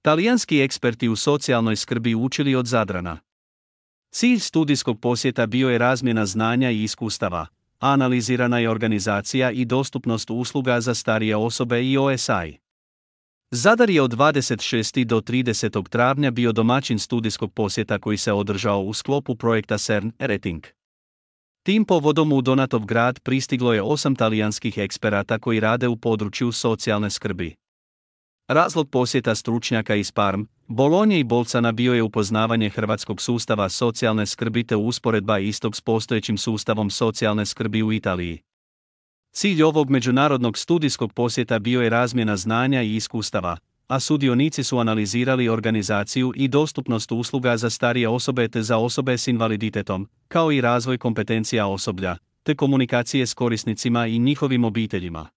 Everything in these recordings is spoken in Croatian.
Talijanski eksperti u socijalnoj skrbi učili od Zadrana. Cilj studijskog posjeta bio je razmjena znanja i iskustava, a analizirana je organizacija i dostupnost usluga za starije osobe i OSI. Zadar je od 26. do 30. travnja bio domaćin studijskog posjeta koji se održao u sklopu projekta CERN Rating. Tim povodom u Donatov grad pristiglo je 8 talijanskih eksperata koji rade u području socijalne skrbi. Razlog posjeta stručnjaka iz Parm, Bolonje i Bolcana bio je upoznavanje hrvatskog sustava socijalne skrbi te usporedba istog s postojećim sustavom socijalne skrbi u Italiji. Cilj ovog međunarodnog studijskog posjeta bio je razmjena znanja i iskustava, a sudionici su analizirali organizaciju i dostupnost usluga za starije osobe te za osobe s invaliditetom, kao i razvoj kompetencija osoblja, te komunikacije s korisnicima i njihovim obiteljima.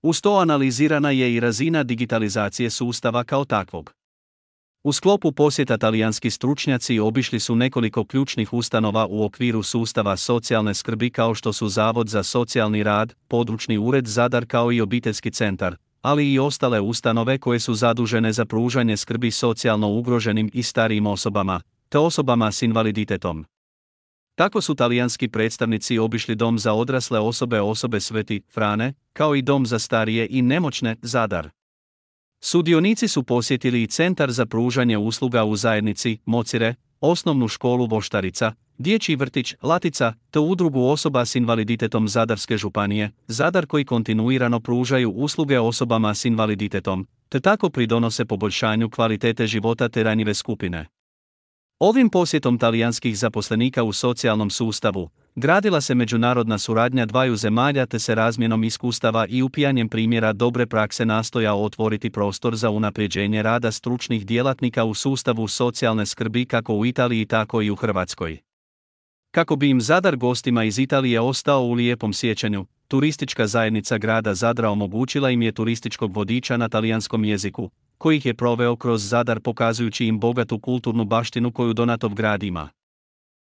Uz to analizirana je i razina digitalizacije sustava kao takvog. U sklopu posjeta talijanski stručnjaci obišli su nekoliko ključnih ustanova u okviru sustava socijalne skrbi kao što su Zavod za socijalni rad, Područni ured Zadar kao i obiteljski centar, ali i ostale ustanove koje su zadužene za pružanje skrbi socijalno ugroženim i starijim osobama, te osobama s invaliditetom. Tako su talijanski predstavnici obišli Dom za odrasle osobe Sveti Frane, kao i Dom za starije i nemoćne Zadar. Sudionici su posjetili i Centar za pružanje usluga u zajednici Mocire, Osnovnu školu Voštarica, Dječji vrtić Latica, te Udrugu osoba s invaliditetom Zadarske županije, Zadar koji kontinuirano pružaju usluge osobama s invaliditetom, te tako pridonose poboljšanju kvalitete života te ranjive skupine. Ovim posjetom talijanskih zaposlenika u socijalnom sustavu gradila se međunarodna suradnja dvaju zemalja te se razmjenom iskustava i upijanjem primjera dobre prakse nastoja otvoriti prostor za unapređenje rada stručnih djelatnika u sustavu socijalne skrbi kako u Italiji tako i u Hrvatskoj. Kako bi im Zadar gostima iz Italije ostao u lijepom sjećanju, turistička zajednica grada Zadra omogućila im je turističkog vodiča na talijanskom jeziku, koji ih je proveo kroz Zadar pokazujući im bogatu kulturnu baštinu koju Donatov grad ima.